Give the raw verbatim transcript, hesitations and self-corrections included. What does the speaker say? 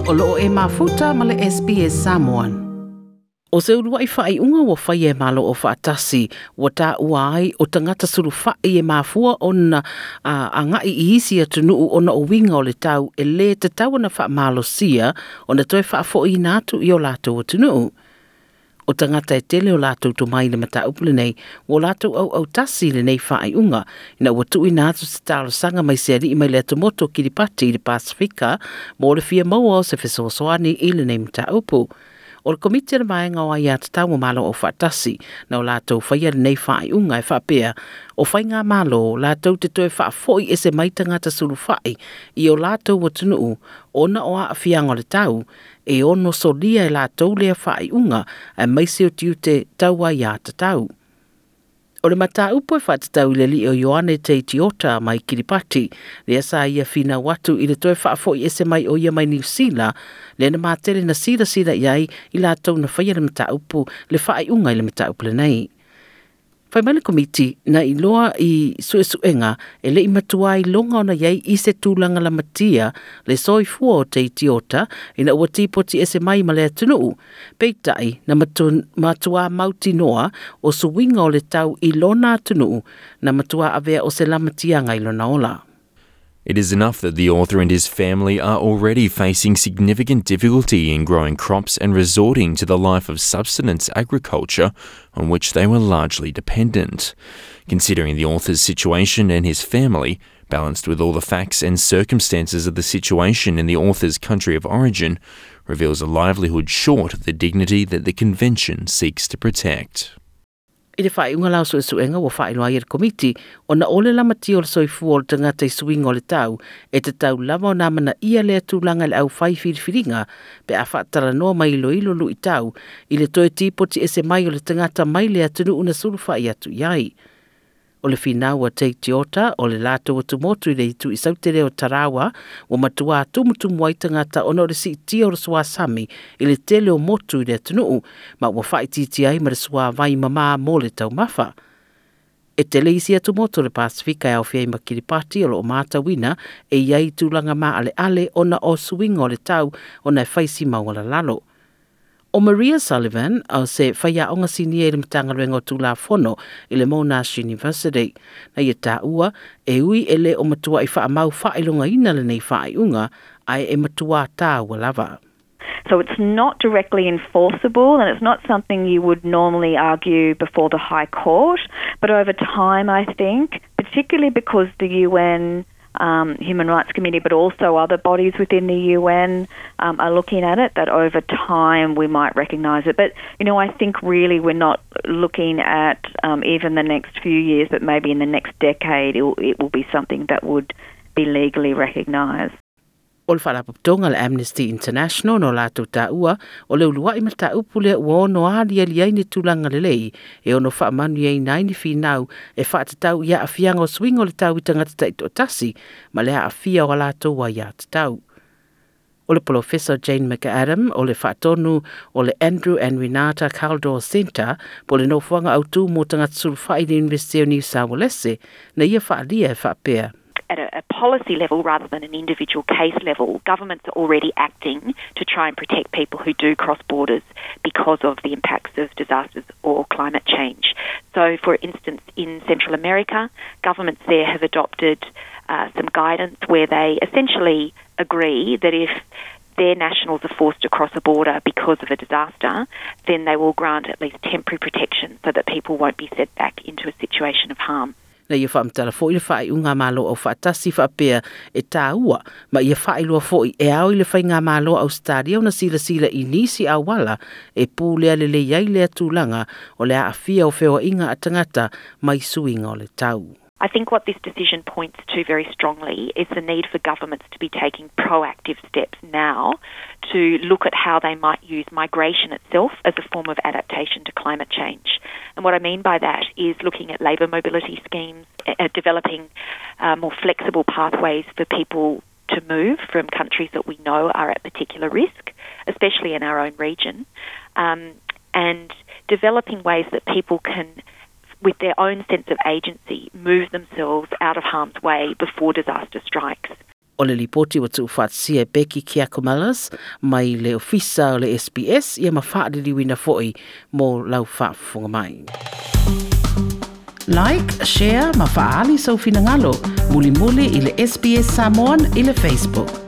O loo e mafuta ma le S B S Samoan. O se uluai whaaiunga ua whai e malo o whaatasi, ua tā ua ai o tangata sulu whai e mafua ona a ngai i isi atunuu ona o winga o le tau e le te tau ana whaamalosia ona toe whaafoi ina atu i o lātou atunuu. O tangata e tele o lātou tō mai le mataupu lenei, o lātou au au tasi lenei whaaiunga, ina ua tui nā atu se talosanga mai se alii mai le atumoto Kiribati i le Pasifika, mō le fia maua o se fesoasoani i lenei mataupu. O le komiti le vaenga o ai atatau o malo o whaatasi, na o lātou whaia lenei whaaiunga e whaapea, o whai ngā malo, lātou te toe whaafoi e se mai tangata sulu whai, i o lātou atunuu, ona o a whianga o le tau, e ono solia e lātou lea whaaiunga, e maise o tiute tau ai atatau. O le mataupu e whaatatau i le li o Ioane Teitiota mai Kiribati, lea sa ia whina watu i le toe whaafoi ese mai o ia mai Niu Sila, le na mātele na sila sila iai i lātou na whaia le mataupu, le whaaiunga i le mataupu le nei. Whai mai le komiti na iloa i suesuenga e le i matua i longa ona iai i se tūlanga lamatia le soifua o Teitiota ina ua tipoti ese mai ma le atunuu. Peitai na matu, matua mautinoa o suinga o le tau i lona atunuu na matua avea o se lamatianga i lona ola. It is enough that the author and his family are already facing significant difficulty in growing crops and resorting to the life of subsistence agriculture on which they were largely dependent. Considering the author's situation and his family, balanced with all the facts and circumstances of the situation in the author's country of origin, reveals a livelihood short of the dignity that the Convention seeks to protect. I le whaaiunga lau suesuenga ua whaailoa i le komiti o na ole lamatia o le soifua o le tangata i suinga o le tau e te tau lava o nā mana ia lea tūlanga le au whai whiriwhiringa pe a whaatalanoa mai iloilo lui tau i le toe tipoti ese mai o le tangata mai le atunuu na sulu whaai atu iai. O le whinaua Teitiota o le lātou atumotu i le itu i sautere o Tarawa ua matua tumutumu ai tangata ona o le siitia o le suasami i le tele o motu i le atunuu ma ua whaititi ai ma le sua vai mamā mō le taumafa. E tele isi atumotu le Pasifika e awhia i ma Kiribati o lo o mātawina e iai tūlanga mā ale ale ona o suinga o le tau ona e whaisi mauala lalo. O Maria Sullivan, o se whaiaonga sinia i le matangaluenga o Tulafono i le Monash University. Na ia tāua, e ui e le o matua i whaamau whailonga ina le nei whaaiunga, ai e matua tāua lava. So it's not directly enforceable and it's not something you would normally argue before the High Court. But over time, I think, particularly because the U N Um, Human Rights Committee, but also other bodies within the U N um, are looking at it, that over time we might recognise it. But, you know, I think really we're not looking at um, even the next few years, but maybe in the next decade it will, it will be something that would be legally recognised. O le whaalapopotonga le Amnesty International no lātou tāua o le uluai ma tāupu lea ua ono ali ali ai ni tūlanga lelei e ono whaamanu ai nai ni whinau e whaatatau ia awhianga o swinga o le tau i tangata taitoatasi ma lea awhia o lātou ai atatau. O le Professor Jane McAdam o le whaatonu o le Andrew and Renata Kaldor Centre po le nofuanga autu mō tangata suluwhai le University o New South Wales na ia whaalia e whaapea. At a, a policy level rather than an individual case level, governments are already acting to try and protect people who do cross borders because of the impacts of disasters or climate change. So, for instance, in Central America, governments there have adopted uh, some guidance where they essentially agree that if their nationals are forced to cross a border because of a disaster, then they will grant at least temporary protection so that people won't be sent back into a situation of harm. Na ia whaamtala fo i le whaaiunga malo au whaatasi whaapea e tāua, ma ia whaailua fo i e au i le whainga malo Australia o na sila sila i nisi awala e pūlea le le iai lea tūlanga o le aafia o whewa inga a tangata mai suinga o le tau. I think what this decision points to very strongly is the need for governments to be taking proactive steps now to look at how they might use migration itself as a form of adaptation to climate change. And what I mean by that is looking at labour mobility schemes, uh, developing uh, more flexible pathways for people to move from countries that we know are at particular risk, especially in our own region, um, and developing ways that people can, with their own sense of agency, move themselves out of harm's way before disaster strikes. O le lipoti ua tuufaatasia e Becky Kiakomalas mai le ofisa o le S B S ia ma faaliliuina foi mo lau faafofoga mai. Like, share ma faaali sou finagalo. Mulimuli i le S B S Samoan i le Facebook.